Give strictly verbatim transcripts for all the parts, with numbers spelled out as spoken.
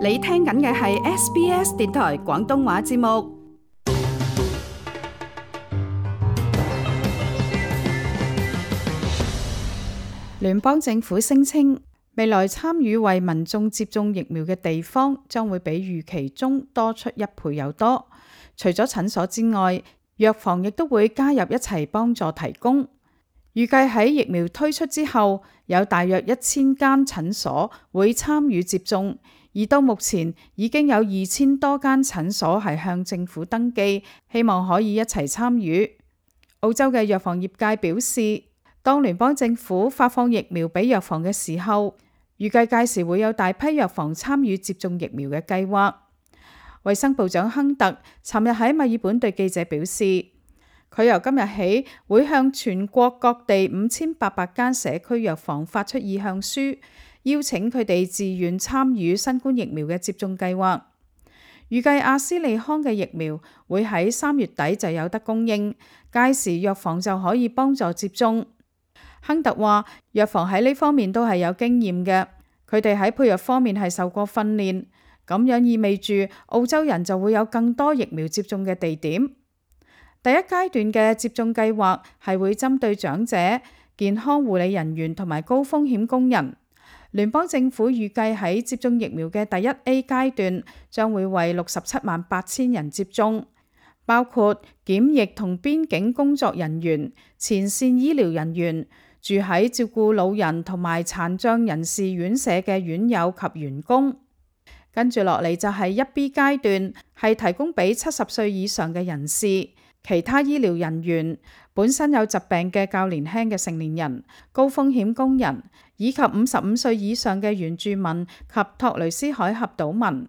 你聽緊嘅係 S B S 電台廣東話節目。聯邦政府聲稱，未來參與為民眾接種疫苗嘅地方將會比預期中多出一倍有多。除咗診所之外，藥房亦都會加入一齊幫助提供。預計喺疫苗推出之後，有大約一千間診所會參與接種，而到目前已經有二千多間診所係向政府登記，希望可以一齊參與。澳洲嘅藥房業界表示，當聯邦政府發放疫苗俾藥房嘅時候，預計屆時會有大批藥房參與接種疫苗嘅計劃。衛生部長亨特尋日喺墨爾本對記者表示，佢由今日起會向全國各地五千八百間社區藥房發出意向書，邀請佢哋自願參與新冠疫苗嘅接種計劃。預計阿斯利康嘅疫苗會喺三月底就有得供應，屆時藥房就可以幫助接種。亨特話，藥房喺呢方面都係有經驗嘅，佢哋喺配藥方面係受過訓練，咁樣意味住澳洲人就會有更多疫苗接種嘅地點。第一階段嘅接種計劃係會針對長者、健康護理人員同埋高風險工人。聯邦政府預計喺接種疫苗嘅第一 A 階段將會為六十七萬八千人接種，包括檢疫同邊境工作人員、前線醫療人員、住喺照顧老人同埋殘障人士院舍嘅院友及員工。跟住落嚟就係一 B 階段，係提供俾七十歲以上嘅人士、其他醫療人員、本身有疾病嘅較年輕嘅成年人、高風險工人，以及五十五歲以上嘅原住民及托雷斯海峽島民。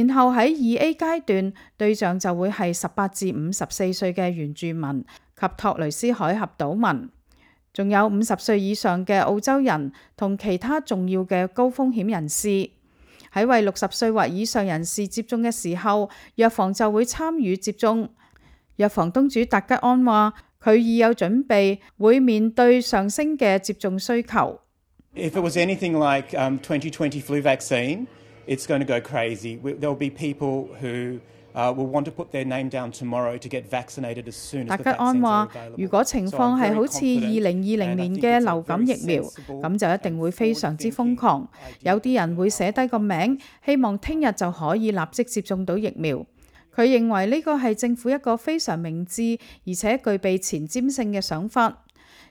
然後喺二 A 階段，對象就會係十八至五十四歲嘅原住民及托雷斯海峽島民，仲有五十歲以上嘅澳洲人同其他重要嘅高風險人士。喺為六十歲或以上人士接種嘅時候，藥房就會參與接種。藥房東主達吉安話，佢已有準備會面對上升嘅接種需求。If it was anything like um, twenty twenty flu vaccine, it's going to go crazy. There will be people who Uh, will want to put their name down tomorrow to get vaccinated as soon as the vaccines are available. 達吉安話，如果情況係好似二零二零年嘅流感疫苗，咁就一定會非常之瘋狂。有啲人會寫低個名，希望聽日就可以立即接種到疫苗。佢認為呢個係政府一個非常明智而且具備前瞻性嘅想法。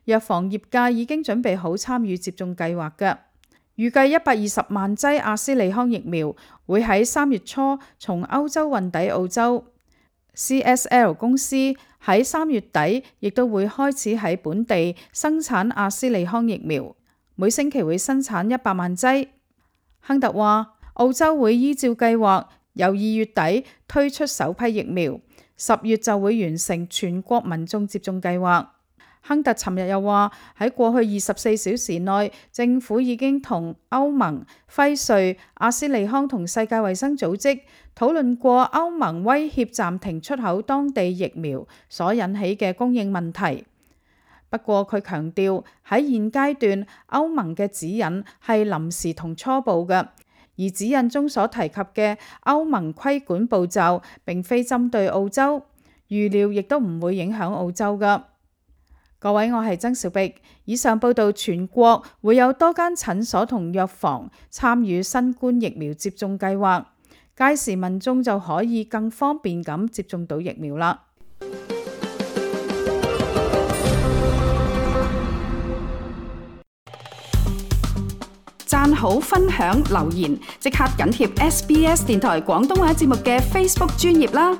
藥房業界已經準備好參與接種計劃嘅。預計一百二十萬劑阿斯利康疫苗會喺三月初從歐洲運抵澳洲。C S L 公司喺三月底亦都會開始喺本地生產阿斯利康疫苗，每星期會生產一百萬劑。亨特話，澳洲會依照計劃由二月底推出首批疫苗，十月就會完成全國民眾接種計劃。亨特尋日又話，喺過去二十四小時內，政府已經同歐盟、輝瑞、阿斯利康同世界衛生組織討論過歐盟威脅暫停出口當地疫苗所引起嘅供應問題。不過佢強調，喺現階段歐盟嘅指引係臨時同初步嘅，而指引中所提及嘅歐盟規管步驟並非針對澳洲，預料亦都唔會影響澳洲㗎。各位，我係曾小碧。以上報道，全國會有多間診所同藥房參與新冠疫苗接種計劃，屆時民眾就可以更方便咁接種到疫苗啦。讚好、分享、留言，即刻緊貼 S B S 電台廣東話節目嘅 Facebook 專頁啦！